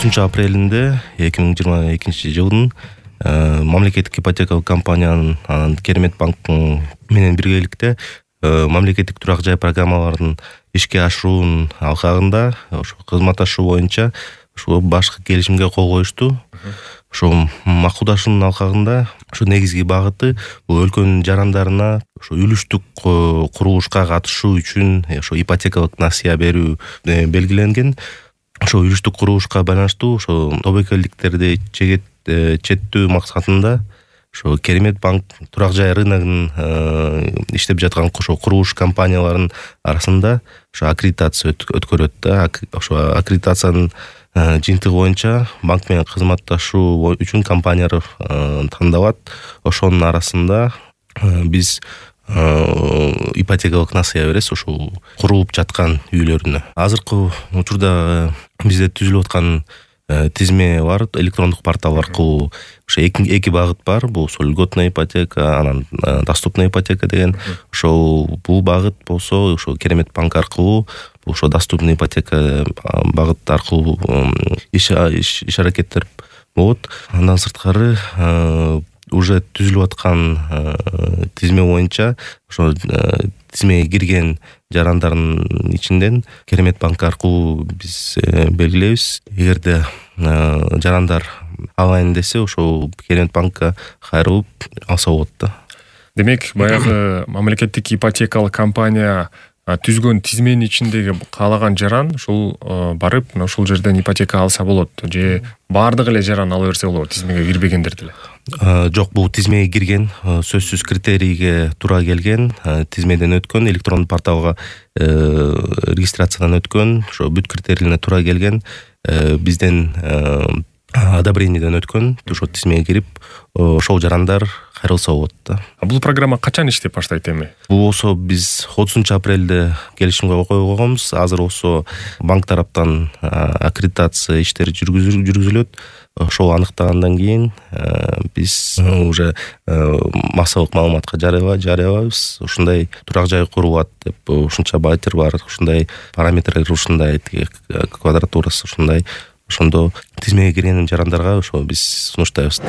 30-апрелинде 2022 мамлекеттик ипотекалык компаниянын Керемет банк менен биргеликте мамлекеттик турак жай программаларын ишке ашыруунун алкагында ошо кызматташуу боюнча ошо башкы келишимге кол коюшту. Ошо макулдашуунун алкагында ошо негизги багыты бул өлкөнүн жарандарына ошо үлүштүк курулушка катышуу үчүн ошо ипотекалык насыя берүү белгиленген. Ошо үлүштүк курулушка байланыштуу ошо тобокелдиктерди четтөө максатында ошо Керемет банк турак жай рыногунун иштеп жаткан ошо курулуш компанияларынын арасында ошо аккредитация өткөрөт да. Ошо аккредитациянын жыйынтыгы боюнча банк менен кызматташуу үчүн компаниялар тандалат. Ошонун арасында биз ипотекалык насыя беребиз ошол курулуп жаткан үйлөрүнө. Азыркы учурда бизде түзүлүп аткан тизме бар, электрондук портал аркылуу ошо эки багыт бар. Бул льготная ипотека, анан доступная ипотека деген. Ошол бул багыт болсо ошо Керемет банк аркылуу, ошо доступный ипотека багыт аркылуу иш аракеттер болот. Андан сырткары уже түзүлүп аткан тизме боюнча ошо тизмеге кирген жарандардын ичинден Керемет банк аркылуу биз белгилейбиз. Эгерде жарандар алайын десе ошол Керемет банкка кайрылып алса болот да. Демек, баягы мамлекеттик ипотекалык компания түзгөн тизменин ичиндеги каалаган жаран ушул барып ушул жерден ипотека алса болот же баардык эле жаран ала берсе болобу, тизмеге кирбегендер деле? Жок, бул тизмеге кирген, сөзсүз критерийге туура келген, тизмеден өткөн, электрондук порталга регистрациядан өткөн, ошо бүт критерийине туура келген, бизден одобрениеден өткөн, ошо тизмеге кирип, ошол жарандар кайрылса болот да. Бул программа качан иштеп баштайт эми? Бул болсо биз 30-апрелде келишимге кол койгонбуз. Азыр болсо банк тараптан аккредитация иштери жүргүзүлөт. Ошол аныктагандан кийин биз уже массалык маалыматка жарыялайбыз. Ушундай турак жай курулат деп, ушунча байтер бар, ушундай параметрлер, ушундай квадратурасы ушундай. Ошондо тизмеге кирген жарандарга ошо биз сунуштайбыз.